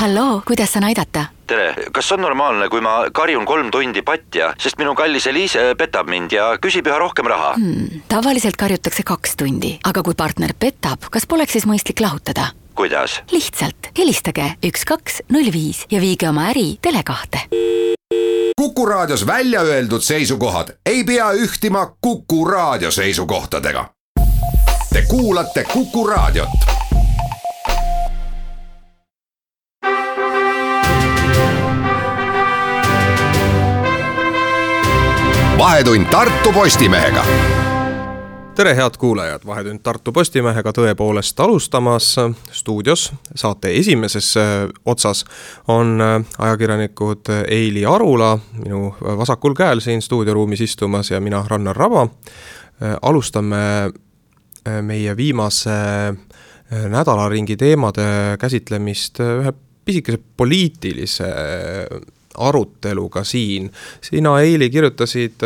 Halloo, kuidas saan aidata? Tere, kas on normaalne, kui ma karjun 3 tundi patja, sest minu kallis Eliise petab mind ja küsib üha rohkem raha? Tavaliselt karjutakse 2 tundi, aga kui partner petab, kas poleks siis mõistlik lahutada? Kuidas? Lihtsalt helistage 1205 ja viige oma äri Tele2. Kuku Raadios välja öeldud seisukohad ei pea ühtima Kuku Raadio seisukohtadega. Te kuulate Kuku Raadiot. Vahetund Tartu Postimehega. Tere, head kuulajad, Vahetund Tartu Postimehega tõepoolest alustamas. Stuudios saate esimeses otsas on ajakirjanikud Eili Arula, minu vasakul käel siin stuudioruumis istumas, ja mina, Rannar Raba. Alustame meie viimase nädalaringi teemade käsitlemist ühe pisikese poliitilise aruteluga siin. Sina, Eili, kirjutasid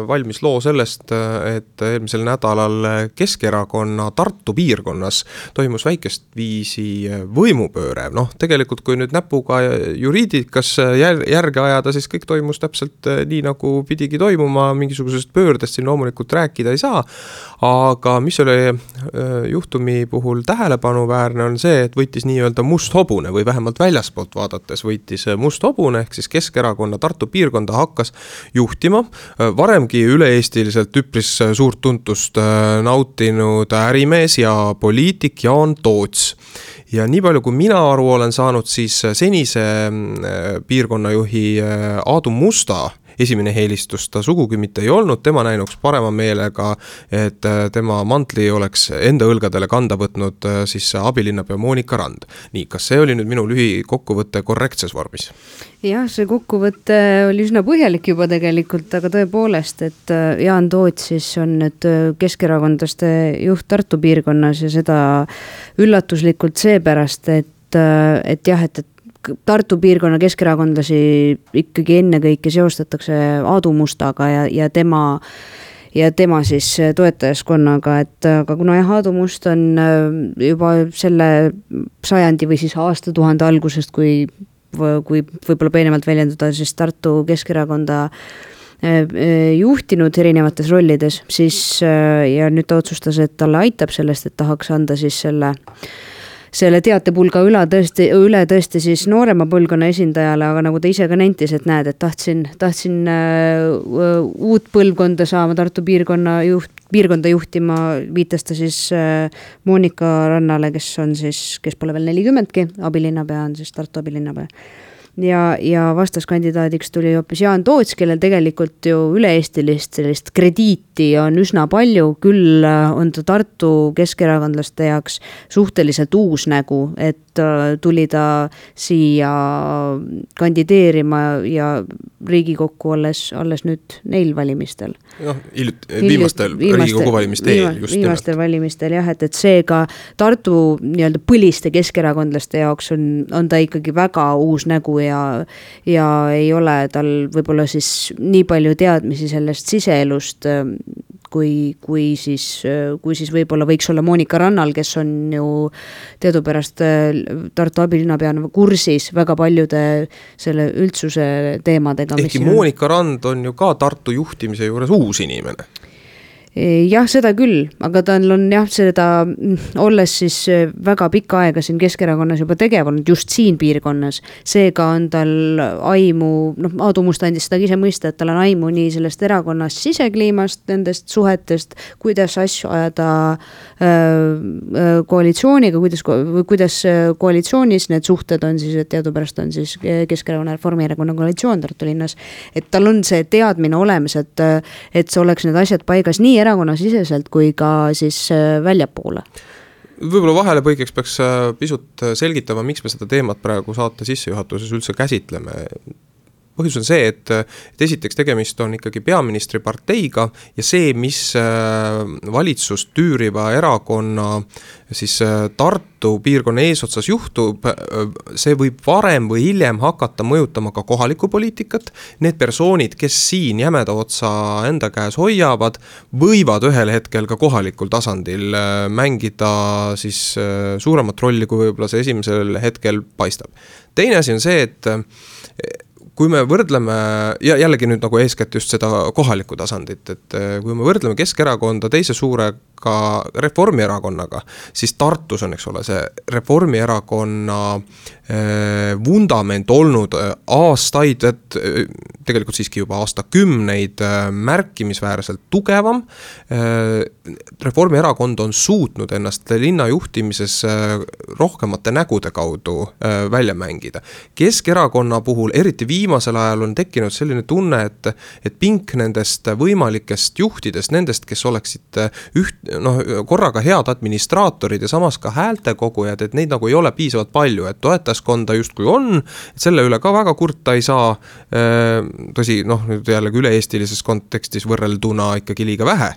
valmis loo sellest, et eelmisel nädalal Keskerakonna Tartu piirkonnas toimus väikest viisi võimupööre. Tegelikult kui nüüd näpuga juriidikas järge ajada, siis kõik toimus täpselt nii, nagu pidigi toimuma. Mingisugusest pöördest siin loomulikult rääkida ei saa. Aga mis oli juhtumi puhul tähelepanuväärne on see, et võitis nii-öelda must hobune või vähemalt väljaspoolt vaadates võitis must hobune, ehk siis Keskerakonna Tartu piirkonda hakkas juhtima varemgi üle-eestiliselt üpris suurt tuntust nautinud ärimees ja poliitik Jaan Toots. Ja nii palju kui mina aru olen saanud, siis senise piirkonnajuhi Aadu Musta esimene helistus ta sugugi mitte ei olnud, tema näinuks parema meelega, et tema mantli oleks enda õlgadele kanda võtnud siis abilinnapea Monika Rand. Nii, kas see oli nüüd minu lühikokkuvõte korrektses vormis? Jah, see kokkuvõte oli üsna põhjalik juba tegelikult, aga tõepoolest, et Jaan Toots siis on nüüd keskerakondlaste juht Tartu piirkonnas ja seda üllatuslikult seepärast, et jah, et Tartu piirkonna keskerakondlasi ikkagi ennekõike seostatakse Aadu Mustaga ja tema siis toetajaskonnaga, et aga kuna Aadu Must on juba selle sajandi või siis aastatuhande algusest, kui võib-olla peenemalt väljendada, siis Tartu Keskerakonda juhtinud erinevates rollides, siis ja nüüd ta otsustas, et talle aitab sellest, et tahaks anda siis selle teatepulga üle tõesti siis noorema põlvkonna esindajale, aga nagu ta ise ka nentis, et näed, et tahtsin uut põlvkonda saama Tartu piirkonda juhtima, viitas ta siis Monika Rannale, kes pole veel 40-ki, abilinnapea on siis Tartu abilinnapea. Ja vastaskandidaadiks tuli hoopis Jaan Toots, kellel tegelikult ju üle-eestilist sellist krediiti on üsna palju, küll on ta Tartu keskerakondlaste jaoks suhteliselt uus nägu, et tuli ta siia kandideerima ja Riigikokku alles nüüd neil valimistel. Viimastel Riigikogu valimiste eel. Viimastel valimistel, jah, et seega Tartu nii-öelda põliste keskerakondlaste jaoks on ta ikkagi väga uus nägu ja ei ole tal võib-olla siis nii palju teadmisi sellest siseelust, kui siis võib-olla võiks olla Monika Rannal, kes on ju teadupärast Tartu abilinnapeana kursis väga paljude selle üldsuse teemadega. Ehkki Monika Rand on ju ka Tartu juhtimise juures uus inimene. Jah, seda küll, aga tal on jah seda, olles siis väga pikka aega siin Keskerakonnas juba tegevanud just siin piirkonnas, seega on tal aimu, Aadu Must andis seda ise mõista, et tal on aimu nii sellest erakonnast sisekliimast, nendest suhetest, kuidas asju ajada koalitsiooniga, kuidas koalitsioonis need suhted on siis, et teadupärast on siis Keskerakonna Reformierakonna koalitsioon Tartu linnas, et tal on see teadmine olemas, et see oleks need asjad paigas nii erakonnasiseselt kui ka siis väljapoole. Võib-olla vahelepõigeks peaks pisut selgitama, miks me seda teemat praegu saate sissejuhatuses üldse käsitleme. põhjus on see, et esiteks tegemist on ikkagi peaministri parteiga ja see, mis valitsust tüüriva erakonna siis Tartu piirkonna eesotsas juhtub, see võib varem või hiljem hakata mõjutama ka kohalikku poliitikat. Need persoonid, kes siin jämeda otsa enda käes hoiavad, võivad ühel hetkel ka kohalikul tasandil mängida siis suuremat rolli, kui võib-olla see esimesel hetkel paistab. Teine asi on see, et kui me võrdleme, ja jällegi nüüd nagu eeskätt just seda kohalikku tasandit, et kui me võrdleme Keskerakonda teise suurega Reformierakonnaga, siis Tartus on, eks ole, see Reformierakonna vundament olnud aastaid, et tegelikult siiski juba aastakümneid märkimisväärselt tugevam. Reformierakond on suutnud ennast linna juhtimises rohkemate nägude kaudu välja mängida. Keskerakonna puhul, eriti viimasel ajal on tekkinud selline tunne, et pink nendest võimalikest juhtidest, nendest, kes oleksid korraga head administraatorid ja samas ka häältekogujad, et neid nagu ei ole piisavalt palju, et toetaskonda justkui on, et selle üle ka väga kurta ei saa, tõsi, nüüd jällegi üle-eestilises kontekstis võrrelduna ikkagi liiga vähe,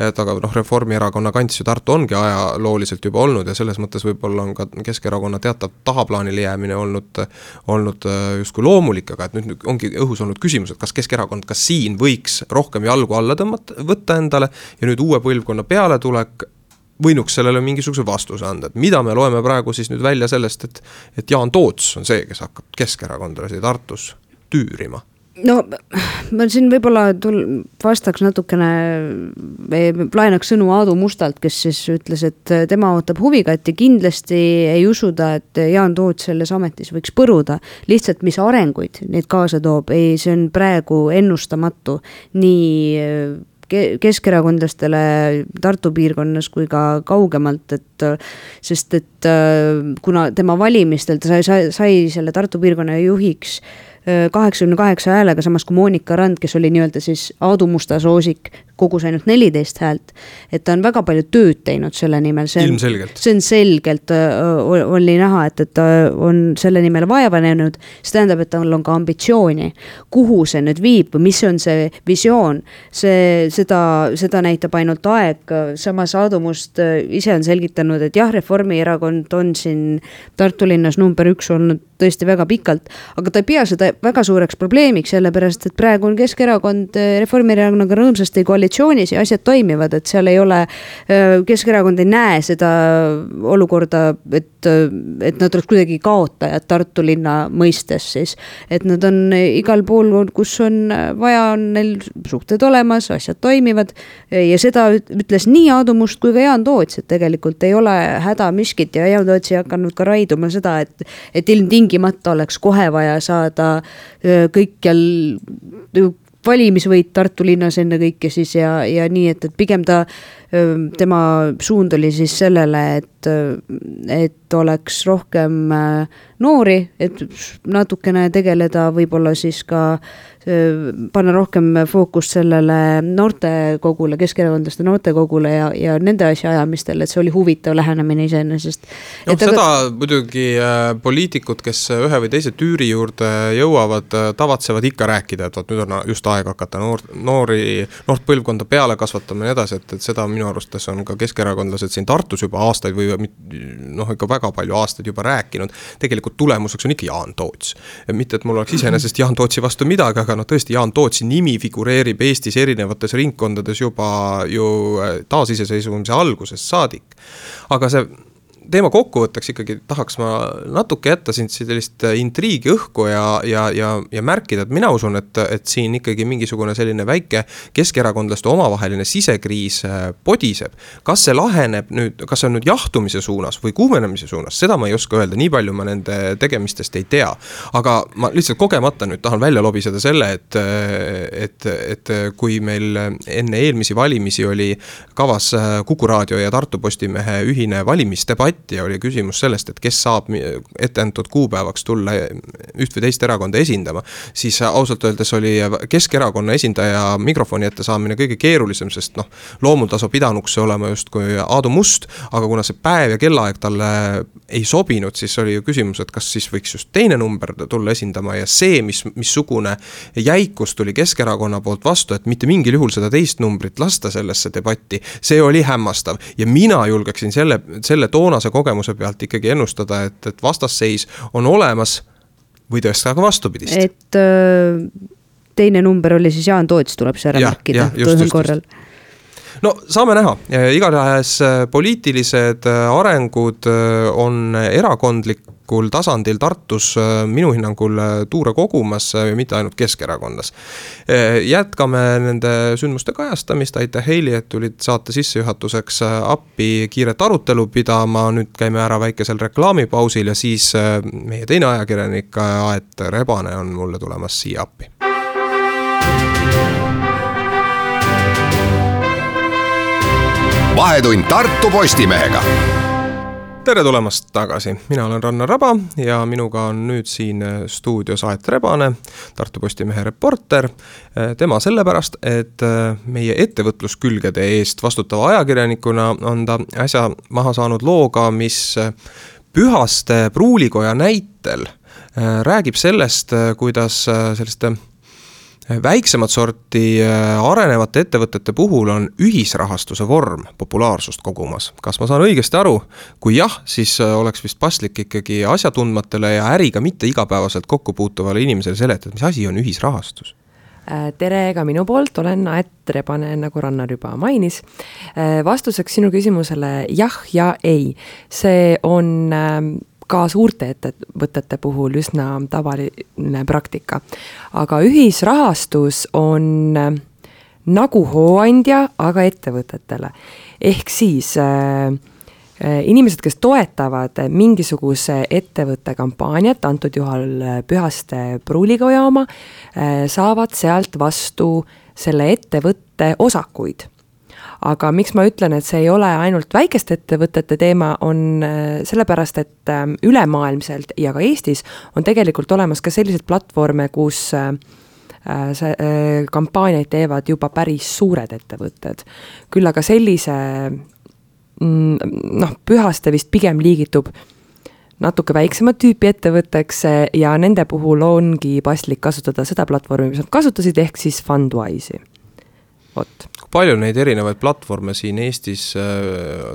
et aga Reformierakonna kants ju Tartu ongi ajalooliselt juba olnud ja selles mõttes võib-olla on ka Keskerakonna teatav tahaplaanile jäämine olnud justkui loomulik, aga et nüüd ongi õhus olnud küsimus, et kas Keskerakond ka siin võiks rohkem jalgu alla võtta endale ja nüüd uue põlvkonna pealetulek võinuks sellele mingisuguse vastuse anda, et mida me loeme praegu siis nüüd välja sellest, et Jaan Toots on see, kes hakkab Keskerakondlasi Tartus tüürima. No ma siin võib-olla vastaks natukene, laenaks sõnu Aadu Mustalt, kes siis ütles, et tema ootab huvigat ja kindlasti ei usuda, et Jaan Toots selles ametis võiks põruda. Lihtsalt mis arenguid neid kaasa toob, see on praegu ennustamatu nii keskerakondlastele Tartu piirkonnas kui ka kaugemalt, sest kuna tema valimistel ta sai selle Tartu piirkonna juhiks 88 häälega, samas kui Moonika Rand, kes oli nii-öelda siis Aadu Musta soosik, kogus ainult 14 häält, et ta on väga palju tööd teinud selle nimel. Ilmselgelt. See on selgelt, oli näha, et ta on selle nimel vaeva näinud, see tähendab, et tal on ka ambitsiooni. Kuhu see nüüd viib või mis on see visioon? Seda näitab ainult aeg. Samas Aadu Must ise on selgitanud, et jah, Reformierakond on siin Tartu linnas number 1 olnud tõesti väga pikalt, aga ta ei pea seda väga suureks probleemiks, sellepärast, et praegu on Keskerakond Reformierakonnaga rõõmsasti koalitsioonis ja asjad toimivad, et seal ei ole, Keskerakond ei näe seda olukorda, et nad oleks kuidagi kaotajad Tartu linna mõistes siis, et nad on igal pool, kus on vaja, on neil suhted olemas, asjad toimivad ja seda ütles nii Aadu Must kui ka Jaan Toots, et tegelikult ei ole häda miskit ja Jaan Toots ei hakanud ka raiduma seda, et ilmtingimata oleks kohe vaja saada kõikjal valimisvõit Tartu linnas enne kõike siis ja nii, et pigem tema suund oli siis sellele, et oleks rohkem noori, et natukene tegeleda, võib-olla siis ka panna rohkem fookust sellele noortekogule, keskerakondlaste noortekogule ja nende asja ajamistel, et see oli huvitav lähenemine iseenesest. Seda muidugi poliitikud, kes ühe või teise tüüri juurde jõuavad, tavatsevad ikka rääkida, et nüüd on just aeg hakata noort põlvkonda peale kasvatama ja edasi, et seda minu arustes on ka keskerakondlased siin Tartus juba aastaid või ikka väga palju aastaid juba rääkinud. Tegelikult tulemuseks on ikka Jaan Toots. Mitte, et mul oleks iseenesest Jaan Tootsi vastu midagi, aga tõesti Jaan Tootsi nimi figureerib Eestis erinevates ringkondades juba ju taasiseseisvumise algusest saadik. Aga see teema kokkuvõtteks ikkagi tahaks ma natuke jätta siin sellist intriigi õhku ja märkida, et mina usun, et siin ikkagi mingisugune selline väike keskerakondlaste omavaheline sisekriis podiseb. Kas see laheneb nüüd, kas see on nüüd jahtumise suunas või kuumenemise suunas, seda ma ei oska öelda, nii palju ma nende tegemistest ei tea. Aga ma lihtsalt kogemata nüüd tahan välja lobiseda selle, et kui meil enne eelmisi valimisi oli kavas Kuku Raadio ja Tartu Postimehe ühine valimisdebatt, debatt ja oli küsimus sellest, et kes saab ette antud kuupäevaks tulla üht või teist erakonda esindama, siis ausalt öeldes oli Keskerakonna esindaja mikrofoni ette saamine kõige keerulisem, sest loomultasu pidanuks see olema justkui Aadu Must, aga kuna see päev ja kellaaeg talle ei sobinud, siis oli ju küsimus, et kas siis võiks just teine number tulla esindama ja see, missugune jäikus tuli Keskerakonna poolt vastu, et mitte mingil juhul seda teist numbrit lasta sellesse debatti, see oli hämmastav ja mina julgeksin selle toonase kogemuse pealt ikkagi ennustada, et vastasseis on olemas või tõesti aga vastupidist. Et teine number oli siis Jaan Toots tuleb see ära märkida toisel korral. No saame näha, igatahes poliitilised arengud on erakondlikul tasandil Tartus minu hinnangul tuure kogumas, mitte ainult Keskerakonnas. Jätkame nende sündmuste kajastamist, aitäh Heili, et tulid saate sissejuhatuseks appi kiiret arutelu pidama, nüüd käime ära väikesel reklaamipausil ja siis meie teine ajakirjanik Aet Rebane on mulle tulemas siia appi. Vahetund Tartu Postimehega. Tere tulemast tagasi, mina olen Rannar Raba ja minuga on nüüd siin stuudios Aet Rebane, Tartu Postimehe reporter. Tema sellepärast, et meie ettevõtluskülgede eest vastutava ajakirjanikuna on ta äsja maha saanud looga, mis Pühaste pruulikoja näitel räägib sellest, kuidas selliste väiksemat sorti arenevate ettevõtete puhul on ühisrahastuse vorm populaarsust kogumas. Kas ma saan õigesti aru? Kui jah, siis oleks vist paslik ikkagi asjatundmatele ja äriga mitte igapäevaselt kokku puutuvale inimesele seletada, mis asi on ühisrahastus? Tere ka minu poolt, olen Aet Rebane, nagu Rannar juba mainis. Vastuseks sinu küsimusele jah ja ei. See on ka suurte ettevõtete puhul üsna tavaline praktika. Aga ühisrahastus on nagu hooandja, aga ettevõtetele. Ehk siis inimesed, kes toetavad mingisuguse ettevõtte kampaaniat, antud juhul Pühaste pruulikoja oma, saavad sealt vastu selle ettevõtte osakuid. Aga miks ma ütlen, et see ei ole ainult väikeste ettevõtete teema, on sellepärast, et ülemaailmselt ja ka Eestis on tegelikult olemas ka sellised platvorme, kus kampaaniaid teevad juba päris suured ettevõtted. Küll aga sellise, Pühaste vist pigem liigitub natuke väiksemat tüüpi ettevõtteks ja nende puhul ongi paslik kasutada seda platvormi, mis nad kasutasid, ehk siis Fundwise'i. Palju neid erinevaid platvorme siin Eestis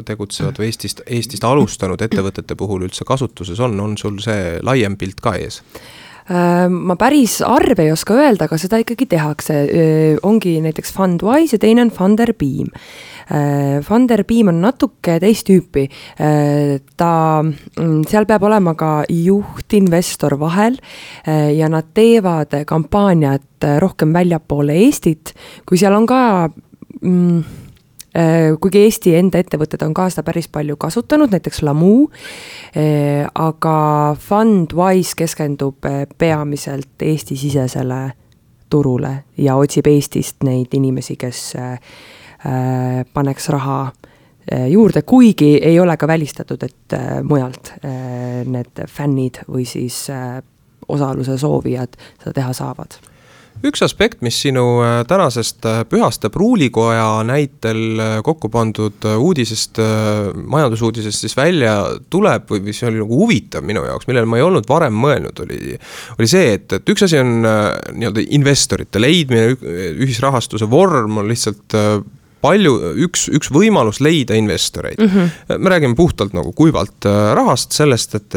tegutsevad või Eestist alustanud ettevõtete puhul üldse kasutuses on sul see laiem pilt ka ees? Ma päris arve ei oska öelda, aga seda ikkagi tehakse. Ongi näiteks Fundwise ja teine on Funderbeam. Funderbeam on natuke teist tüüpi. Seal peab olema ka juhtinvestor vahel ja nad teevad kampaaniat rohkem väljapoole Eestit, kui seal on ka kuigi Eesti enda ettevõtted on ka seda päris palju kasutanud, näiteks Lamu, aga Fundwise keskendub peamiselt Eesti-sisesele turule ja otsib Eestist neid inimesi, kes paneks raha juurde, kuigi ei ole ka välistatud, et mujalt need fännid või siis osaluse soovijad seda teha saavad. Üks aspekt, mis sinu tänasest Pühaste pruulikoja näitel kokku pandud uudisest, majandusuudisest siis välja tuleb või mis oli nagu huvitav minu jaoks, millele ma ei olnud varem mõelnud, oli see, et üks asi on nii-öelda investorite leidmine, ühisrahastuse vorm on lihtsalt üks võimalus leida investoreid. Me räägime puhtalt nagu kuivalt rahast sellest, et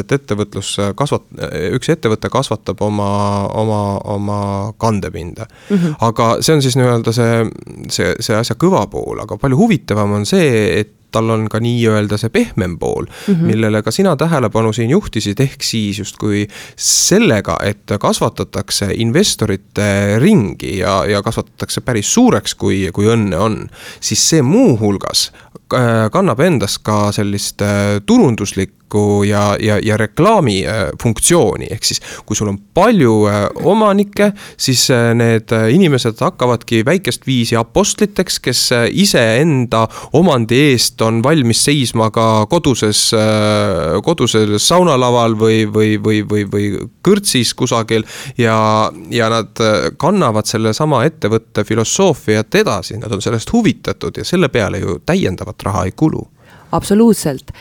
üks ettevõte kasvatab oma kandepinda. Aga see on siis nii-öelda see asja kõva pool, aga palju huvitavam on see, et tal on ka nii-öelda see pehmem pool, millele ka sina tähelepanu siin juhtisid, ehk siis justkui sellega, et kasvatatakse investorite ringi ja kasvatatakse päris suureks, kui õnne on, siis see muu hulgas kannab endas ka sellist turunduslikku valiku ja reklaami funktsiooni, ehk siis kui sul on palju omanikke, siis need inimesed hakkavadki väikest viisi apostliteks, kes iseenda omandi eest on valmis seisma ka kodusel saunalaval või kõrtsis kusagil ja nad kannavad selle sama ettevõtte filosoofiat edasi, nad on sellest huvitatud ja selle peale ju täiendavat raha ei kulu. Absoluutselt.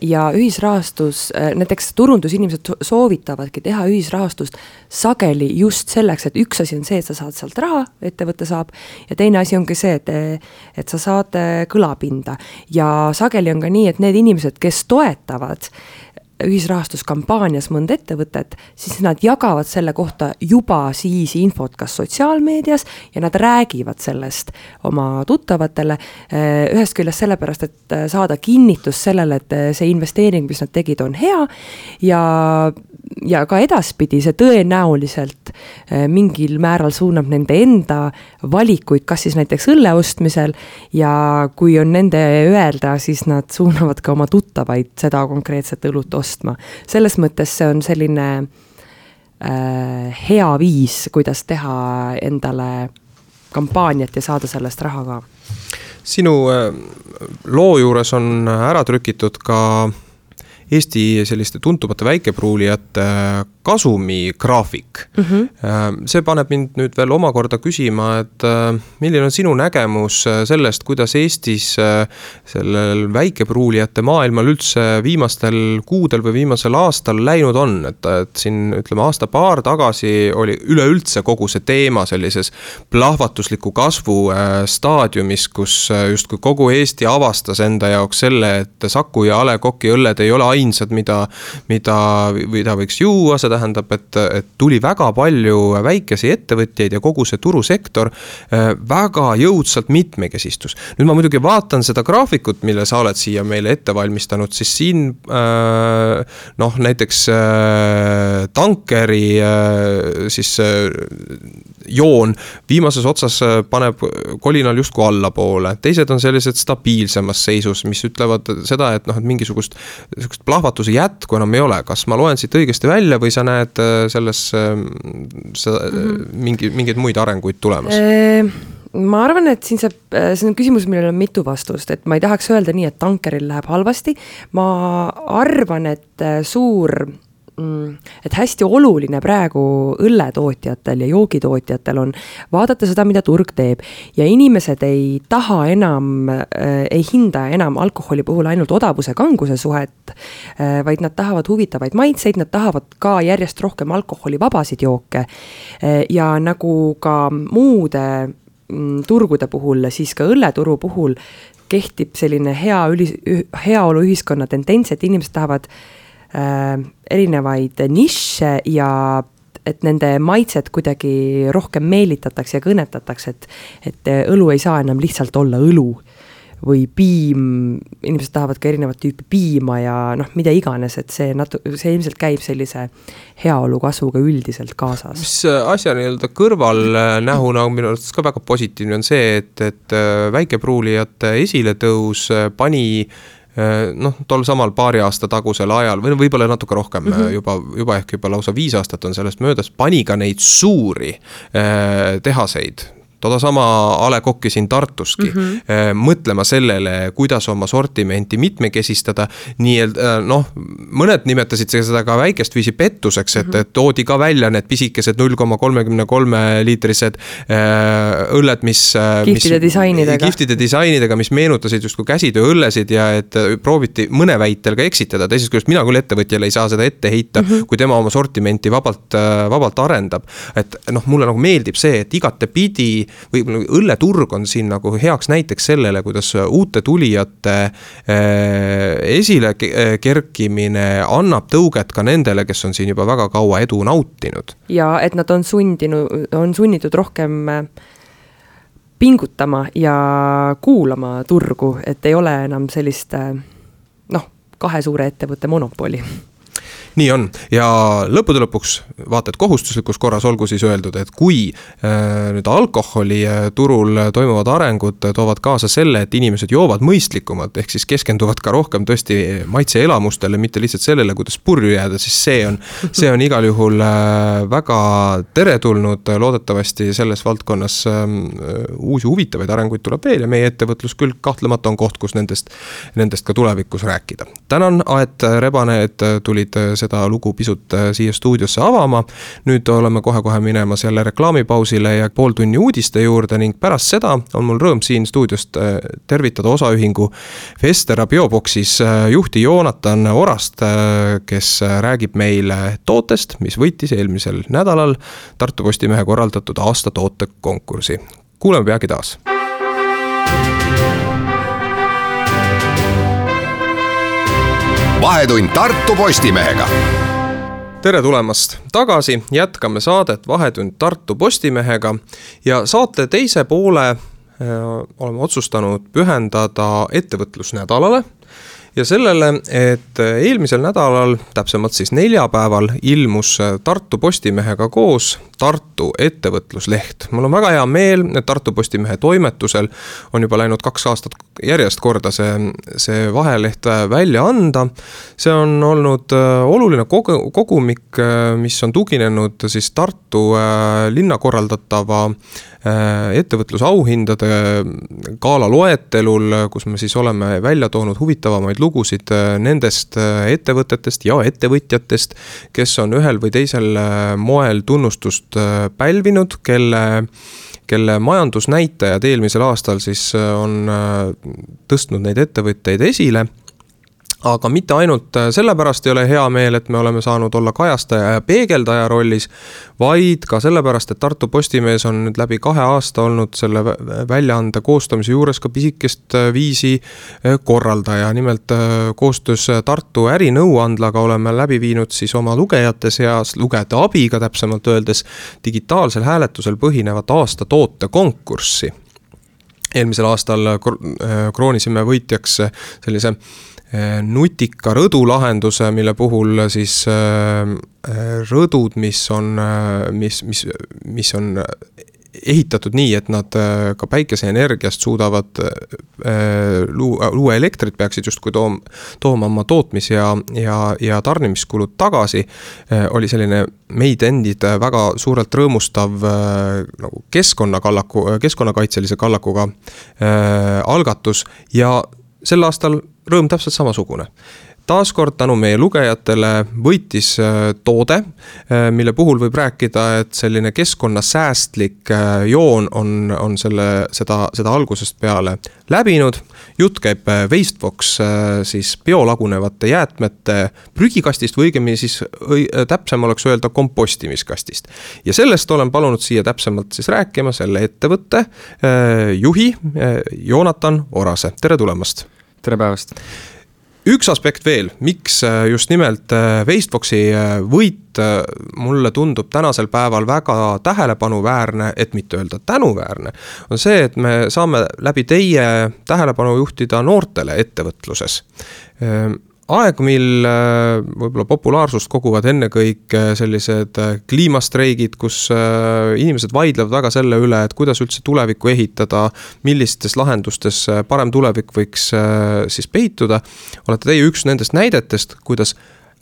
Ja ühisrahastus, näiteks turundusinimesed soovitavadki teha ühisrahastust sageli just selleks, et üks asi on see, et sa saad sealt raha, ettevõte saab, ja teine asi ongi see, et sa saad kõlapinda. Ja sageli on ka nii, et need inimesed, kes toetavad ühisrahastuskampaanias mõnda ettevõtet, siis nad jagavad selle kohta juba siis infot kas sotsiaalmeedias ja nad räägivad sellest oma tuttavatele ühest küljest sellepärast, et saada kinnitus sellele, et see investeering, mis nad tegid, on hea ja ka edaspidi see tõenäoliselt mingil määral suunab nende enda valikuid, kas siis näiteks õlle ostmisel ja kui on nende öelda, siis nad suunavad ka oma tuttavaid seda konkreetset õlut ostma. Selles mõttes see on selline hea viis, kuidas teha endale kampaaniat ja saada sellest raha ka. Sinu loo juures on ära trükitud ka Eesti selliste tuntumate väikepruulijate kasumigraafik. See paneb mind nüüd veel omakorda küsima, et milline on sinu nägemus sellest, kuidas Eestis sellel väikepruulijate maailmal üldse viimastel kuudel või viimasel aastal läinud on, et siin ütleme aasta-paar tagasi oli üleüldse kogu see teema sellises plahvatusliku kasvu staadiumis, kus justkui kogu Eesti avastas enda jaoks selle, et Saku ja A. Le Coq'i õlled ei ole ainsad, mida võiks juua, see tähendab, et tuli väga palju väikesi ettevõtjaid ja kogu see turusektor väga jõudsalt mitmekesistus. Nüüd ma muidugi vaatan seda graafikut, mille sa oled siia meile ette valmistanud, siis siin näiteks tankeri siis joon viimases otsas paneb kolinal justkui allapoole. Teised on sellised stabiilsemas seisus, mis ütlevad seda, et mingisugust plahvatuse jätku enam ei ole. Kas ma loen siit õigesti välja või sa näed selles mingeid muid arenguid tulemas? Ma arvan, et siin see on küsimus, millel on mitu vastust, et ma ei tahaks öelda nii, et tankeril läheb halvasti. Ma arvan, et et hästi oluline praegu õlletootjatel ja joogitootjatel on vaadata seda, mida turg teeb ja inimesed ei taha enam, ei hinda enam alkoholi puhul ainult odavuse kanguse suhet, vaid nad tahavad huvitavaid maitseid, nad tahavad ka järjest rohkem alkoholivabasid jooke ja nagu ka muude turgude puhul, siis ka õlleturu puhul kehtib selline heaolu ühiskonna tendents, et inimesed tahavad erinevaid nišše ja et nende maitset kuidagi rohkem meelitatakse ja kõnetatakse, et õlu ei saa enam lihtsalt olla õlu või piim, inimesed tahavad ka erinevat tüüpi piima ja mida iganes, et see ilmselt käib sellise heaolu kasvuga üldiselt kaasas. Mis asja nii-öelda kõrvalnähuna minu arvates ka väga positiivne on see, et väikepruulijate esiletõus pani tol samal paari aasta tagusel ajal või võib-olla natuke rohkem, juba ehk juba lausa 5 aastat on sellest möödas, pani ka neid suuri tehaseid, toda sama A. Le Coq'i siin Tartuski, mõtlema sellele, kuidas oma sortimenti mitmekesistada, mõned nimetasid seda ka väikest viisi pettuseks, et toodi ka välja need pisikesed 0,33 liitrised õlled, mis kihtide disainidega, mis meenutasid justkui käsitööõllesid ja et prooviti mõne väitel ka eksitada, teisest küljest mina küll ettevõtjale ei saa seda ette heita, kui tema oma sortimenti vabalt arendab, et mulle nagu meeldib see, et igatepidi või õlleturg on siin nagu heaks näiteks sellele, kuidas uute tulijate esile kerkimine annab tõuget ka nendele, kes on siin juba väga kaua edu nautinud. Ja et nad on sunnitud rohkem pingutama ja kuulama turgu, et ei ole enam sellist 2 suure ettevõtte monopoli. nii on ja lõppude lõpuks vaata, et kohustuslikus korras olgu siis öeldud, et kui nüüd alkoholi turul toimuvad arengud toovad kaasa selle, et inimesed joovad mõistlikumalt, ehk siis keskenduvad ka rohkem tõesti maitseelamustele, mitte lihtsalt sellele, kuidas purju jääda, siis see on igal juhul väga teretulnud, loodetavasti selles valdkonnas uusi huvitavaid arenguid tuleb veel ja meie ettevõtlus küll kahtlemata on koht, kus nendest ka tulevikus rääkida. Tänan, Aet Rebane, et tulid seda lugu pisut siia stuudiosse avama. Nüüd oleme kohe minemas jälle reklaamipausile ja pool tunni uudiste juurde ning pärast seda on mul rõõm siin stuudiost tervitada osaühingu Vestera Bioboxis juhti Joonatan Orast, kes räägib meile tootest, mis võitis eelmisel nädalal Tartu Postimehe korraldatud aasta tootekonkursi. Kuuleme peagi taas. Vahetund Tartu Postimehega. Tere tulemast tagasi, jätkame saadet Vahetund Tartu Postimehega ja saate teise poole oleme otsustanud pühendada ettevõtlusnädalale ja sellele, et eelmisel nädalal, täpsemalt siis neljapäeval, ilmus Tartu Postimehega koos Tartu ettevõtlusleht. Mul on väga hea meel, et Tartu Postimehe toimetusel on juba läinud 2 aastat järjest korda see vaheleht välja anda. See on olnud oluline kogumik, mis on tuginenud siis Tartu linna korraldatava ettevõtlusauhindade gala loetelul, kus me siis oleme välja toonud huvitavamaid lugusid nendest ettevõtetest ja ettevõtjatest, kes on ühel või teisel moel tunnustust pälvinud, kelle majandusnäitajad eelmisel aastal siis on tõstnud neid ettevõtteid esile. Aga mitte ainult sellepärast ei ole hea meel, et me oleme saanud olla kajastaja ja peegeldaja rollis, vaid ka sellepärast, et Tartu Postimees on nüüd läbi 2 aasta olnud selle väljaande koostamise juures ka pisikest viisi korraldaja. Nimelt koostöös Tartu ärinõuandlaga oleme läbi viinud siis oma lugejate seas, lugejate abiga täpsemalt öeldes, digitaalsel hääletusel põhinevat aasta tootekonkurssi. Eelmisel aastal kroonisime võitjaks sellise nutika rõdulahenduse, mille puhul siis rõdud, mis on ehitatud nii, et nad ka päikeseenergiast suudavad luua elektrit, peaksid justkui tooma oma tootmis- ja tarnimiskulud tagasi, oli selline meid endid väga suurelt rõõmustav nagu keskkonnakaitselise kallakuga algatus ja sel aastal rõõm täpselt samasugune. Taaskord tänu meie lugejatele võitis toode, mille puhul võib rääkida, et selline keskkonnasäästlik joon on seda algusest peale läbinud. Jutt käib Wastevox siis biolagunevate jäätmete prügikastist või õigemini siis täpsem oleks öelda kompostimiskastist. Ja sellest olen palunud siia täpsemalt siis rääkima selle ettevõtte juhi Joonatan Orase. Tere tulemast! Tere päevast! Üks aspekt veel, miks just nimelt Wastevoxi võit mulle tundub tänasel päeval väga tähelepanuväärne, et mitte öelda tänuväärne, on see, et me saame läbi teie tähelepanu juhtida noortele ettevõtluses. Aeg, mil võib-olla populaarsust koguvad ennekõik sellised kliimastreigid, kus inimesed vaidlevad väga selle üle, et kuidas üldse tulevikku ehitada, millistes lahendustes parem tulevik võiks siis peituda. Olete teie üks nendest näidetest, kuidas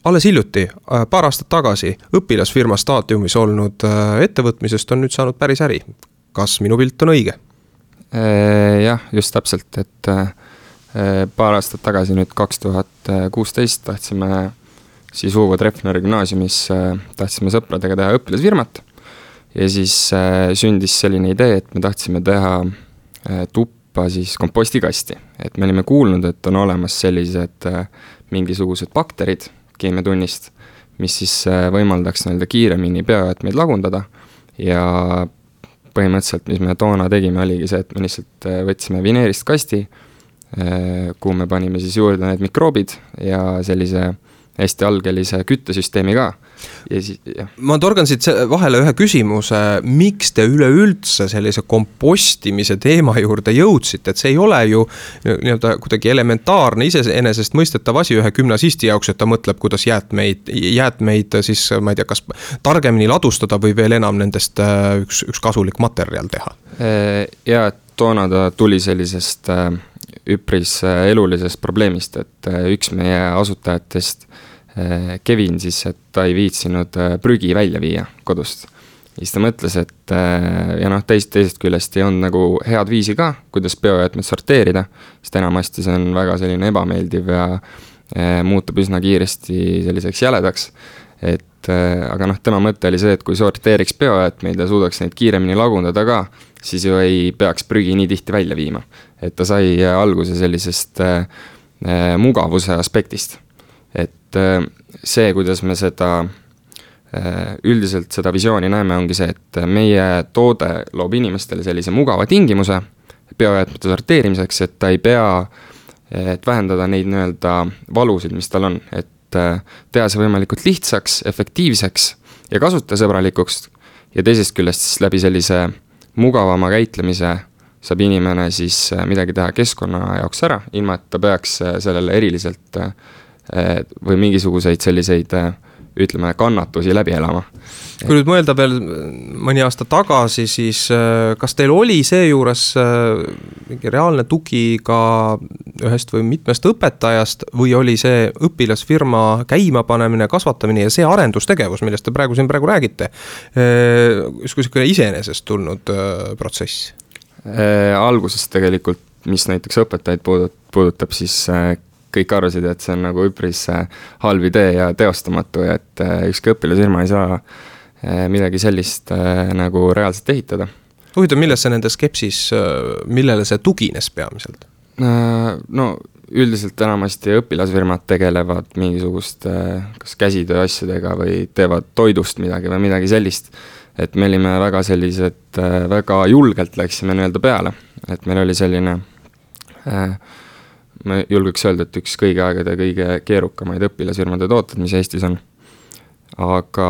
alles hiljuti, paar aastat tagasi, õpilasfirma staadiumis olnud ettevõtmisest on nüüd saanud päris äri. Kas minu pilt on õige? Jah, just täpselt, et paar aastat tagasi, nüüd 2016, tahtsime siis Uvo Treffneri gümnaasiumis, tahtsime sõpradega teha õpilasfirmat ja siis sündis selline idee, et me tahtsime teha tuppa siis kompostikasti. Et me olime kuulnud, et on olemas sellised mingisugused bakterid keemiatunnist, mis siis võimaldaks kiiremini biojäätmeid lagundada ja põhimõtteliselt, mis me toona tegime, oligi see, et me lihtsalt võtsime vineerist kasti, kuhu me panime siis juurde need mikroobid ja sellise hästi algelise küttesüsteemi ka. Ja siis, ma torgan siit vahele ühe küsimuse, miks te üleüldse sellise kompostimise teema juurde jõudsite, et see ei ole ju nii-öelda kuidagi elementaarne iseenesest mõistetav asi ühe gümnasisti jaoks, et ta mõtleb, kuidas jäätmeid siis, ma ei tea, kas targemini ladustada või veel enam nendest üks kasulik materjal teha. Ja toona ta tuli sellisest üpris elulisest probleemist, et üks meie asutajatest Kevin siis, et ta ei viitsinud prügi välja viia kodust. Ja siis ta mõtles, et ja noh, teisest küljest ei olnud nagu head viisi ka, kuidas biojäätmed sorteerida, sest enamasti see on väga selline ebameeldiv ja muutub üsna kiiresti selliseks jäledaks. Aga noh, tema mõte oli see, et kui sorteeriks biojäätmeid ja suudaks neid kiiremini lagundada ka, siis ju ei peaks prügi nii tihti välja viima. Et ta sai alguse sellisest mugavuse aspektist. Et see, kuidas me seda üldiselt seda visiooni näeme, ongi see, et meie toode loob inimestele sellise mugava tingimuse biojäätmete sorteerimiseks, et ta ei pea, et vähendada neid nii-öelda valusid, mis tal on, et teha see võimalikult lihtsaks, efektiivseks ja kasutajasõbralikuks ja teisest küljest siis läbi sellise mugavama käitlemise saab inimene siis midagi teha keskkonna jaoks ära, ilma et ta peaks sellele eriliselt või mingisuguseid selliseid, ütleme, kannatusi läbi elama. Kui nüüd mõelda veel mõni aasta tagasi, siis kas teil oli seejuures mingi reaalne tugi ka ühest või mitmest õpetajast või oli see õpilasfirma käimapanemine, kasvatamine ja see arendustegevus, millest te praegu räägite, kui iseenesest tulnud protsess? Alguses tegelikult, mis näiteks õpetajaid puudutab, siis kõik arvasid, et see on nagu üpris halb idee ja teostamatu ja et ükski õpilasfirma ei saa midagi sellist nagu reaalselt ehitada. Huvitav, milles see nende skepsis, millele see tugines peamiselt? No üldiselt enamasti õpilasfirmad tegelevad mingisugust kas käsitöö asjadega või teevad toidust midagi või midagi sellist. Et me olime väga sellised, väga julgelt läksime nii-öelda peale, et meil oli selline ma julgeks öelda, et üks kõige aegade kõige keerukamaid õpilasfirmade tooted, mis Eestis on. Aga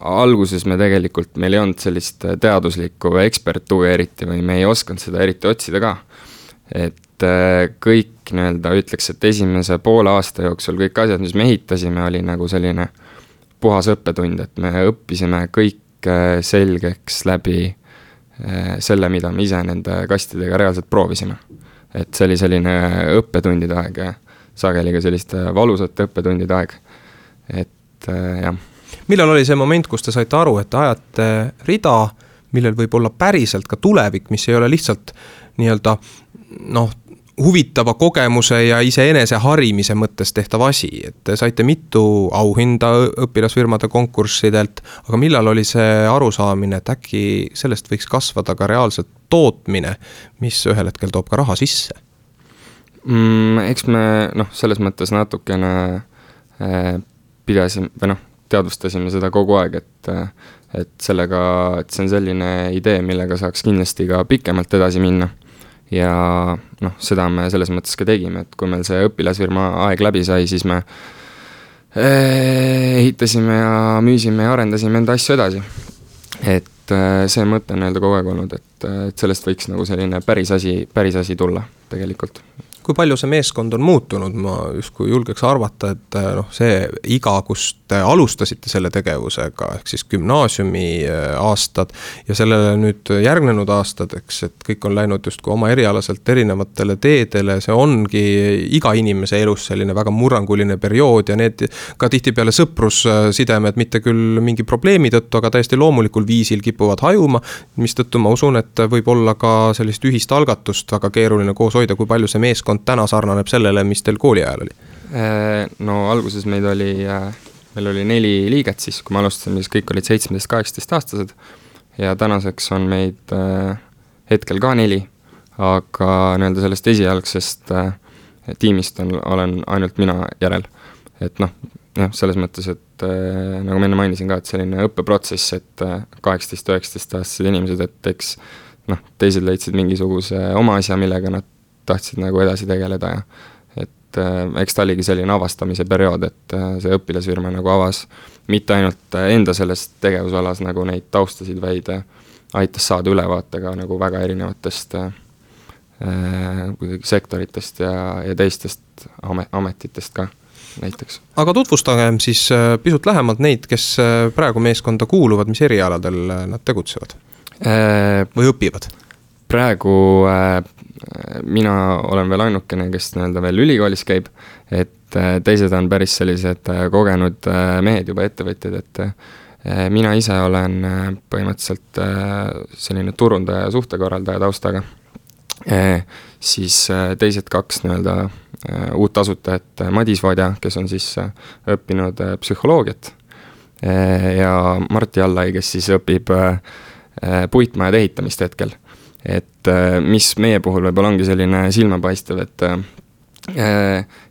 alguses me tegelikult, meil ei olnud sellist teaduslikku ekspertuuri eriti või me ei osanud seda eriti otsida ka. Et kõik nii-öelda ütleks, et esimese poole aasta jooksul kõik asjad, mis me ehitasime, oli nagu selline puhas õppetund, et me õppisime kõik selgeks läbi selle, mida me ise nende kastidega reaalselt proovisime. Et see oli selline õppetundide aeg ja sageli ka selliste valusate õppetundide aeg. Et jah. Millal oli see moment, kus te saite aru, et ajate rida, millel võib olla päriselt ka tulevik, mis ei ole lihtsalt nii-öelda huvitava kogemuse ja iseenese harimise mõttes tehtav asi, et saite mitu auhinda õpilasfirmade konkurssidelt, aga millal oli see arusaamine, et äkki sellest võiks kasvada ka reaalselt tootmine, mis ühel hetkel toob ka raha sisse? Eks me selles mõttes natukene pidasime, või teadvustasime seda kogu aeg, et sellega, et see on selline idee, millega saaks kindlasti ka pikemalt edasi minna. Ja seda me selles mõttes ka tegime, et kui meil see õpilasfirma aeg läbi sai, siis me ehitasime ja müüsime ja arendasime enda asju edasi. Et see mõte on kogu aeg olnud, et sellest võiks nagu selline päris asi tulla tegelikult. Kui palju see meeskond on muutunud, ma justkui julgeks arvata, et see iga, kus te alustasite selle tegevusega, ehk siis gümnaasiumi aastad ja sellele nüüd järgnenud aastad, eks, et kõik on läinud justkui oma erialaselt erinevatele teedele, see ongi iga inimese elus selline väga murranguline periood ja need ka tihtipeale sõprussidemed, mitte küll mingi probleemi tõttu, aga täiesti loomulikul viisil kipuvad hajuma, mis tõttu ma usun, et võib olla ka sellist ühist algatust väga keeruline koos hoida, kui palju see meeskond täna sarnaneb sellele, mis teil kooli ajal oli? No alguses meil oli 4 liiget siis, kui me alustasime, siis kõik olid 17-18 aastased ja tänaseks on meid hetkel ka 4, aga nii-öelda sellest esialgsest tiimist olen ainult mina järel. Et selles mõttes, et nagu ma enne mainisin ka, et selline õppeprotsess, et 18-19 aastased inimesed, et eks teised leidsid mingisuguse oma asja, millega nad tahtsid nagu edasi tegeleda ja et et eks ta oligi selline avastamise periood, et see õpilasfirma nagu avas mitte ainult enda selles tegevusalas nagu neid taustasid, vaid aitas saada ülevaatega nagu väga erinevatest sektoritest ja teistest ametitest ka näiteks. Aga tutvustagem siis pisut lähemalt neid, kes praegu meeskonda kuuluvad, mis erialadel nad tegutsevad või õpivad? Praegu mina olen veel ainukene, kes nii-öelda veel ülikoolis käib, et teised on päris sellised kogenud mehed juba ettevõtjad, et mina ise olen põhimõtteliselt selline turundaja ja suhtekorraldaja taustaga. Siis teised kaks nii-öelda uut asutajat, Madis Vadja, kes on siis õppinud psühholoogiat, ja Martti Allai, kes siis õpib puitmajade ehitamist hetkel. Et mis meie puhul võib-olla ongi selline silmapaistev, et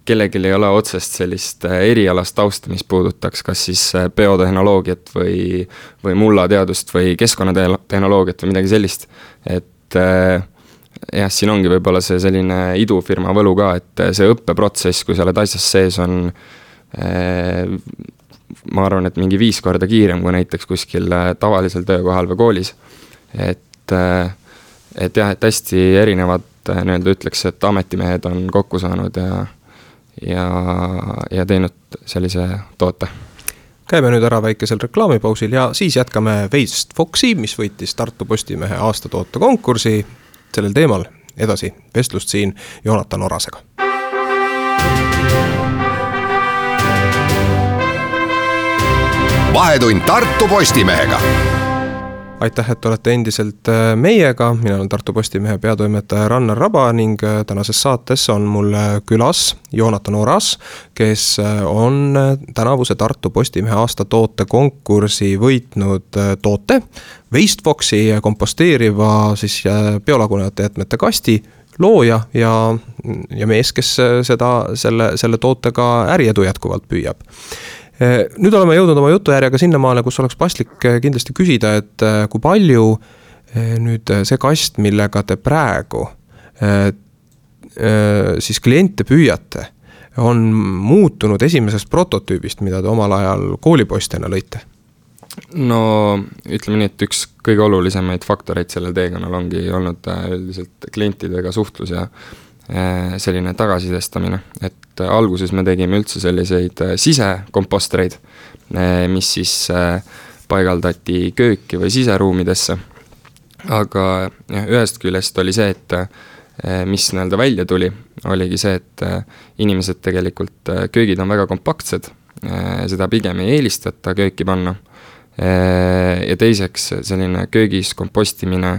kellelgi ei ole otsest sellist erialast tausta, mis puudutaks kas siis biotehnoloogiat või mullateadust või keskkonnatehnoloogiat või midagi sellist. Et jah, siin ongi võib-olla see selline idufirma võlu ka, et see õppeprotsess, kui sa oled asjas sees, on ma arvan, et mingi 5 korda kiirem kui näiteks kuskil tavalisel töökohal või koolis. Et jah, et hästi erinevad nii-öelda ütleks, et ametimehed on kokku saanud ja teinud sellise toote. Käime nüüd ära väikesel reklaamipausil ja siis jätkame Waste Foxi, mis võitis Tartu Postimehe aastatoote konkursi. Sellel teemal edasi vestlust siin Joonatan Orasega. Vahetund Tartu Postimehega. Aitäh, et olete endiselt meiega. Mina olen Tartu Postimehe peatoimetaja Rannar Raba ning tänases saates on mul külas Joonatan Oras, kes on tänavuse Tartu Postimehe aastatoote konkursi võitnud toote Waste Foxi komposteeriva siis biolagunevate jätmete kasti looja ja mees, kes selle tootega äriedu jätkuvalt püüab. Nüüd oleme jõudnud oma jutujärjega sinnamaale, kus oleks paslik kindlasti küsida, et kui palju nüüd see kast, millega te praegu siis kliente püüate, on muutunud esimesest prototüübist, mida te omal ajal koolipoistena lõite? No ütleme nii, et üks kõige olulisemaid faktoreid sellel teekonnal ongi olnud üldiselt klientidega suhtlus ja selline tagasisidestamine, et alguses me tegime üldse selliseid sisekompostereid, mis siis paigaldati kööki või siseruumidesse, aga ühest küljest oli see, et mis nii-öelda välja tuli, oligi see, et inimesed tegelikult, köögid on väga kompaktsed, seda pigem ei eelistata kööki panna ja teiseks selline köögis kompostimine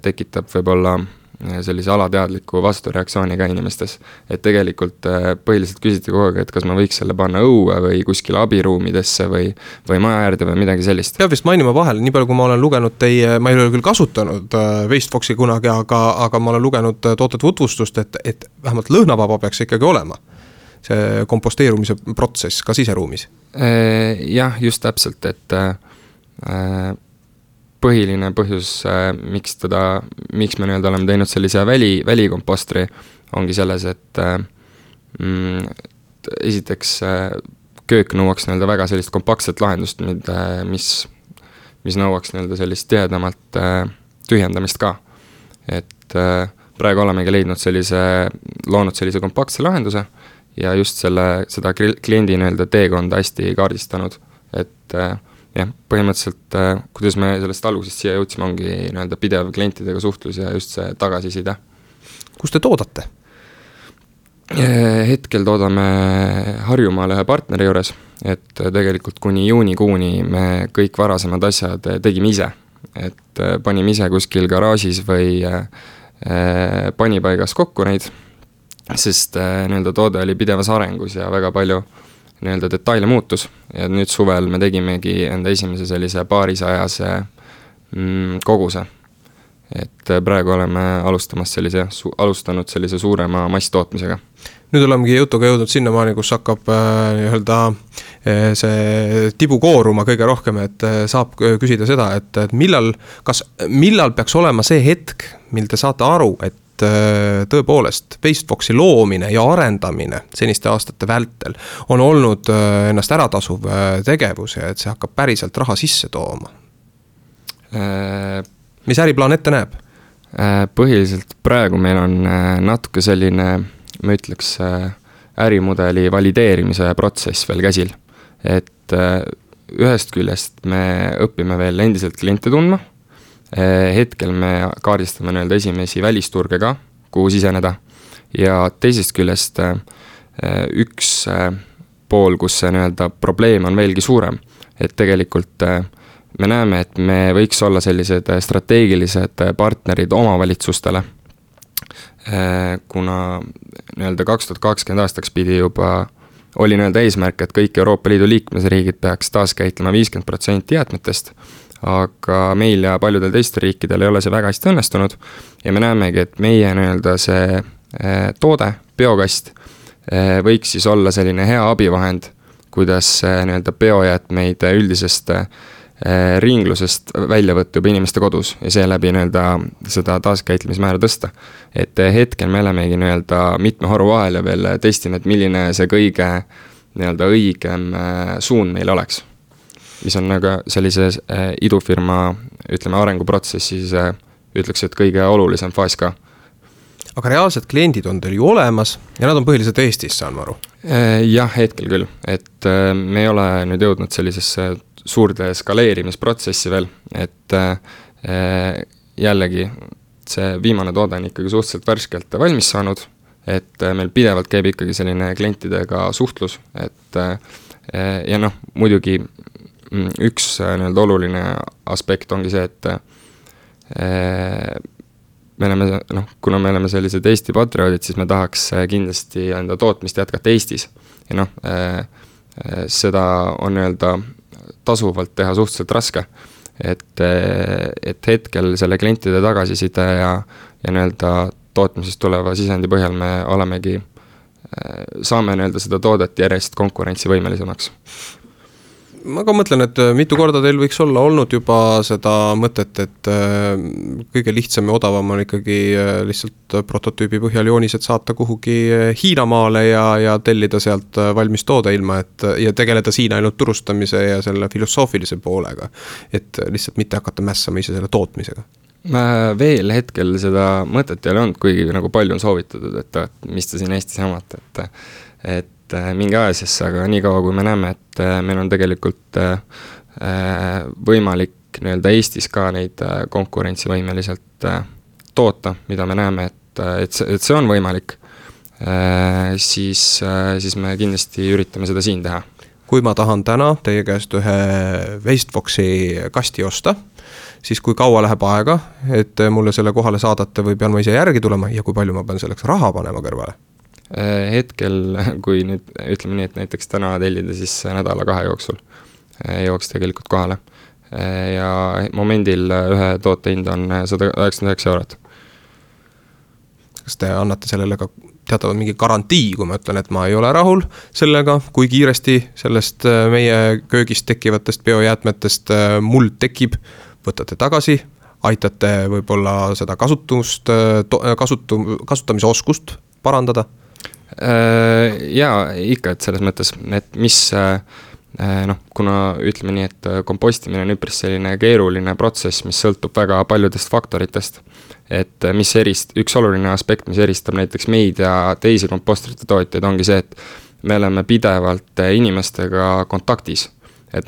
tekitab võib-olla sellise alateadliku vastureaktsiooni ka inimestes, et tegelikult põhiliselt küsiti kogu aeg, et kas ma võiks selle panna õue või kuskile abiruumidesse või maja äärde või midagi sellist. Peab vist mainima vahel, nii palju kui ma olen lugenud ma ei ole küll kasutanud Waste Foxi kunagi, aga ma olen lugenud toote tutvustust, et vähemalt lõhnavaba peaks ikkagi olema see komposteerumise protsess ka siseruumis. Jah, just täpselt, et põhiline põhjus, miks me nii-öelda oleme teinud sellise välikompostri, ongi selles, et esiteks köök nõuaks nii-öelda väga sellist kompaktset lahendust, mis nõuaks nii-öelda sellist tihedamalt tühjendamist ka. Et praegu olemegi loonud sellise kompaktse lahenduse ja just seda kliendi nii-öelda teekonda hästi kaardistanud, et jah, põhimõtteliselt, kuidas me sellest algusest siia jõudsime, ongi nii-öelda pidev klientidega suhtlus ja just see tagasiside. Kus te toodate? Hetkel toodame Harjumaal ühe partneri juures, et tegelikult kuni juunikuuni me kõik varasemad asjad tegime ise. Et panime ise kuskil garaažis või panipaigas kokku neid, sest nii-öelda toode oli pidevas arengus ja väga palju nii-öelda detaile muutus ja nüüd suvel me tegimegi enda esimese sellise paarisajase koguse. Et praegu oleme alustanud sellise suurema masstootmisega. Nüüd olemegi jutuga jõudnud sinnamaani, kus hakkab see tibu kooruma kõige rohkem, et saab küsida seda, et millal peaks olema see hetk, mil te saate aru, et et tõepoolest Wasteboxi loomine ja arendamine seniste aastate vältel on olnud ennast äratasuv tegevus ja et see hakkab päriselt raha sisse tooma? Mis äriplaan ette näeb? Põhiliselt praegu meil on natuke selline, ma ütleks, ärimudeli valideerimise protsess veel käsil. Et ühest küljest me õpime veel endiselt kliente tundma. Hetkel me kaardistame esimesi välisturge ka, kuhu siseneda. Ja teisest küljest üks pool, kus see probleem on veelgi suurem. Et tegelikult me näeme, et me võiks olla sellised strateegilised partnerid omavalitsustele, kuna 2020 aastaks pidi juba oli eesmärk, et kõik Euroopa Liidu liikmesriigid peaks taaskäitlema 50% jäätmetest, aga meil ja paljudel teistel riikidel ei ole see väga hästi õnnestunud ja me näemegi, et meie see toode, biokast, võiks siis olla selline hea abivahend, kuidas biojäätmeid üldisest ringlusest välja võtta juba inimeste kodus ja seeläbi seda taaskäitlemismäära tõsta. Et hetkel me olemegi mitme haru vahel ja veel testime, et milline see kõige õigem suund meil oleks. Mis on sellise idufirma, arenguprotsessis ütleks, et kõige olulisem faas ka. Aga reaalsed kliendid on teil ju olemas ja nad on põhiliselt Eestis, saan ma aru? Jah, hetkel küll. Et me ei ole nüüd jõudnud sellisesse suurde skaleerimisprotsessi veel, et jällegi see viimane toode on ikkagi suhteliselt värskelt valmis saanud, et meil pidevalt käib ikkagi selline klientidega suhtlus, et ja muidugi üks oluline aspekt ongi see, et me oleme, kuna me oleme sellised Eesti patrioodid, siis me tahaks kindlasti enda tootmist jätkata Eestis ja seda on tasuvalt teha suhteliselt raske, et hetkel selle klientide tagasiside ja tootmisest tuleva sisendi põhjal me olemegi, saame seda toodet järjest konkurentsivõimelisemaks. Ma ka mõtlen, et mitu korda teil võiks olla olnud juba seda mõtet, et kõige lihtsam ja odavam on ikkagi lihtsalt prototüübi põhjal joonised saata kuhugi Hiinamaale ja tellida sealt valmis toode ilma, ja tegeleda siin ainult turustamise ja selle filosoofilise poolega, et lihtsalt mitte hakata mässama ise selle tootmisega. Veel hetkel seda mõtet ei ole olnud, kuigi palju on soovitatud, et mis te siin Eestis jamate, et mingi aasjasse, aga nii kaua kui me näeme, et meil on tegelikult võimalik Eestis ka neid konkurentsivõimeliselt toota, mida me näeme, et see on võimalik, siis me kindlasti üritame seda siin teha. Kui ma tahan täna teie käest ühe Wasteboxi kasti osta, siis kui kaua läheb aega, et mulle selle kohale saadate või pean ma ise järgi tulema ja kui palju ma pean selleks raha panema kõrvale? Hetkel, kui nüüd ütleme nii, et näiteks täna tellida, siis nädala-2 jooksul jooks tegelikult kohale. Ja momendil ühe toote hind on 199 €. Kas te annate sellele ka teatavad mingi garantii, kui ma ütlen, et ma ei ole rahul sellega, kui kiiresti sellest meie köögist tekkivatest biojäätmetest muld tekib, võtate tagasi, aitate võib-olla seda kasutamise oskust parandada? Jaa, ikka, et selles mõttes, et mis kuna ütleme nii, et kompostimine on üpris selline keeruline protsess, mis sõltub väga paljudest faktoritest, et mis üks oluline aspekt, mis eristab näiteks meid ja teisi kompostrite tootjaid, ongi see, et me oleme pidevalt inimestega kontaktis. Et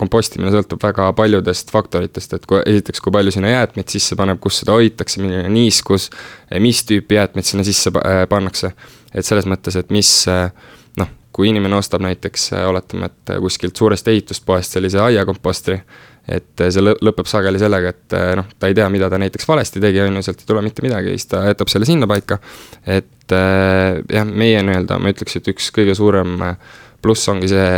kompostimine sõltub väga paljudest faktoritest, et esiteks, kui palju sinna jäätmeid sisse paneb, kus seda hoitakse, milline niiskus, mis tüüpi jäätmeid sinna sisse pannakse. Et selles mõttes, et kui inimene ostab näiteks, oletame, et kuskilt suurest ehituspoest sellise aiakompostri, et see lõpeb sageli sellega, et ta ei tea, mida ta näiteks valesti tegi, sealt ei tule mitte midagi, siis ta jätab selle sinna paika. Et jah, meie ma ütleks, et üks kõige suurem pluss ongi see,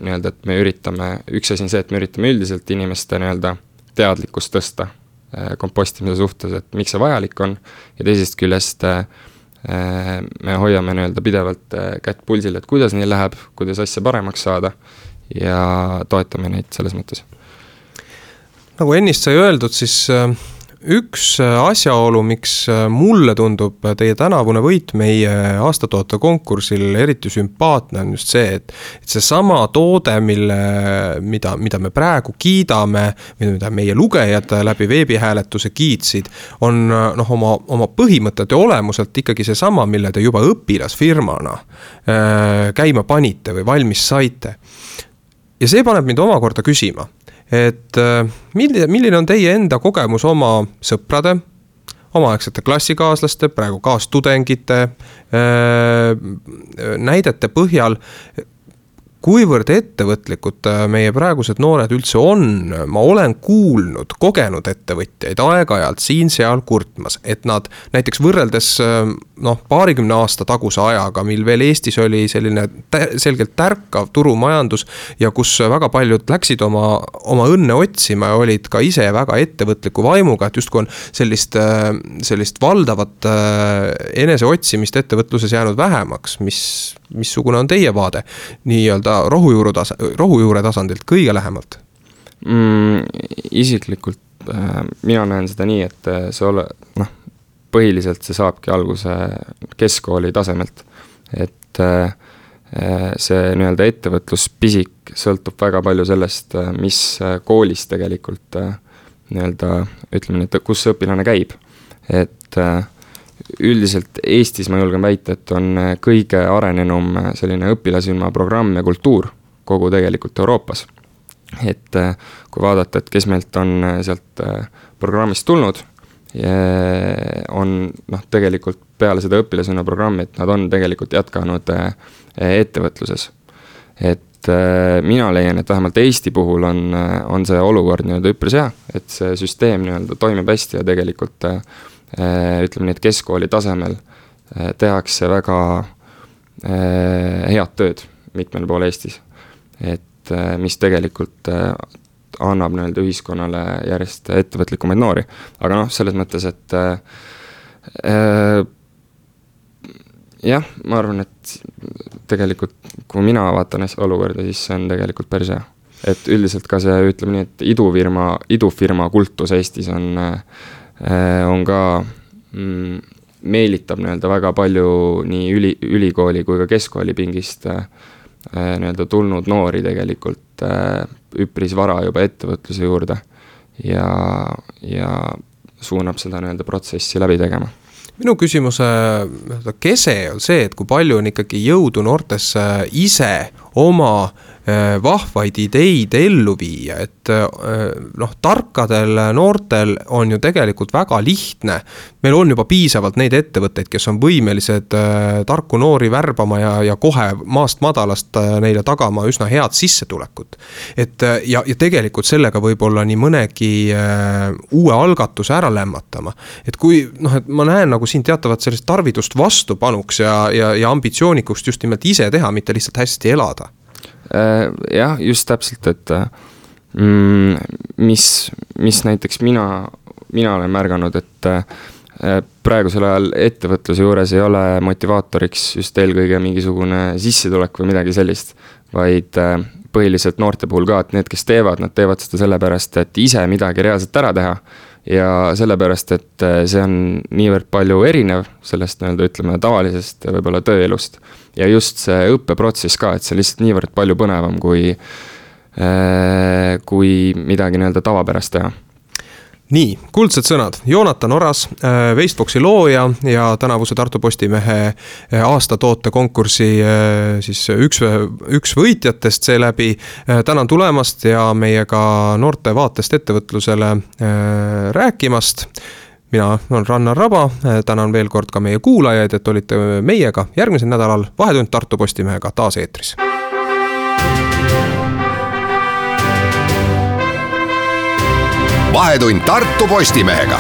et me üritame, üks asi on see, et me üritame üldiselt inimeste teadlikkust tõsta kompostimise suhtes, et miks see vajalik on, ja teisest küljest me hoiame pidevalt kätt pulsil, et kuidas neil läheb, kuidas asja paremaks saada ja toetame neid selles mõttes. Nagu ennist sai öeldud, siis üks asjaolu, miks mulle tundub teie tänavune võit meie aastatoote konkursil eriti sümpaatne on just see, et see sama toode, mida me praegu kiidame, mida meie lugejad läbi veebihääletuse kiitsid, on oma põhimõtete olemuselt ikkagi see sama, mille te juba õpilasfirmana käima panite või valmis saite. Ja see paneb mind omakorda küsima, et milline on teie enda kogemus oma sõprade, omaaegsete klassikaaslaste, praegu kaastudengite näidete põhjal, kuivõrd ettevõtlikud meie praegused noored üldse on. Ma olen kuulnud kogenud ettevõtjaid aeg-ajalt siin-seal kurtmas, et nad näiteks võrreldes paarikümne aasta taguse ajaga, mil veel Eestis oli selline selgelt tärkav turumajandus ja kus väga paljud läksid oma õnne otsima ja olid ka ise väga ettevõtliku vaimuga, et justkui on sellist valdavat eneseotsimist ettevõtluses jäänud vähemaks, missugune on teie vaade nii-öelda rohujuure tasandilt kõige lähemalt? Isiklikult mina näen seda nii, et põhiliselt see saabki alguse keskkooli tasemelt. Et see nii-öelda ettevõtluspisik sõltub väga palju sellest, mis koolis tegelikult nii-öelda, ütleme nii, et kus õpilane käib. Et üldiselt Eestis ma julgen väita, et on kõige arenenum selline õpilasrühma programm ja kultuur kogu tegelikult Euroopas. Et kui vaadata, et kes meilt on sealt programmist tulnud, on tegelikult peale seda õpilasrühma programmi, et nad on tegelikult jätkanud ettevõtluses. Et mina leian, et vähemalt Eesti puhul on see olukord nii-öelda üpris hea, et see süsteem nii-öelda toimib hästi ja tegelikult ütleme nii, et keskkooli tasemel tehakse väga head tööd mitmel pool Eestis, et mis tegelikult annab nii-öelda ühiskonnale järjest ettevõtlikumaid noori. Aga selles mõttes, et jah, ma arvan, et tegelikult kui mina vaatan olukorda, siis see on tegelikult päris hea. Et üldiselt ka see, ütleme nii, et idufirma kultus Eestis on ka meelitab nii-öelda väga palju nii ülikooli kui ka keskkooli pingist nii-öelda tulnud noori tegelikult üpris vara juba ettevõtluse juurde ja suunab seda nii-öelda protsessi läbi tegema. Minu küsimuse kese on see, et kui palju on ikkagi jõudu noortesse ise oma vahvaid ideid ellu viia, et tarkadel noortel on ju tegelikult väga lihtne. Meil on juba piisavalt neid ettevõtteid, kes on võimelised tarku noori värbama ja kohe maast madalast neile tagama üsna head sissetulekut. Ja tegelikult sellega võib-olla nii mõnegi uue algatuse ära lämmatama. Et kui et ma näen nagu siin teatavat sellist tarvidust vastupanuks ja ambitsioonikust just nimelt ise teha, mitte lihtsalt hästi elada. Jah, just täpselt, et mis näiteks mina olen märganud, et praegusel ajal ettevõtluse juures ei ole motivaatoriks just eelkõige mingisugune sissetulek või midagi sellist, vaid põhiliselt noorte puhul ka, et need, kes nad teevad seda sellepärast, et ise midagi reaalselt ära teha ja sellepärast, et see on niivõrd palju erinev sellest ütleme tavalisest võib-olla tööelust. Ja just see õppeprotsess ka, et see lihtsalt niivõrd palju põnevam kui midagi tavapärast teha. Nii, kuldsed sõnad. Joonatan Oras, Wasteboxi looja ja tänavuse Tartu Postimehe aastatoote konkursi siis üks võitjatest seeläbi. Tänan tulemast ja meiega noorte vaatest ettevõtlusele rääkimast. Mina olen Rannar Raba, tänan veel kord ka meie kuulajaid, et olite meiega järgmisel nädalal Vahetund Tartu Postimehega taas eetris. Vahetund Tartu Postimehega.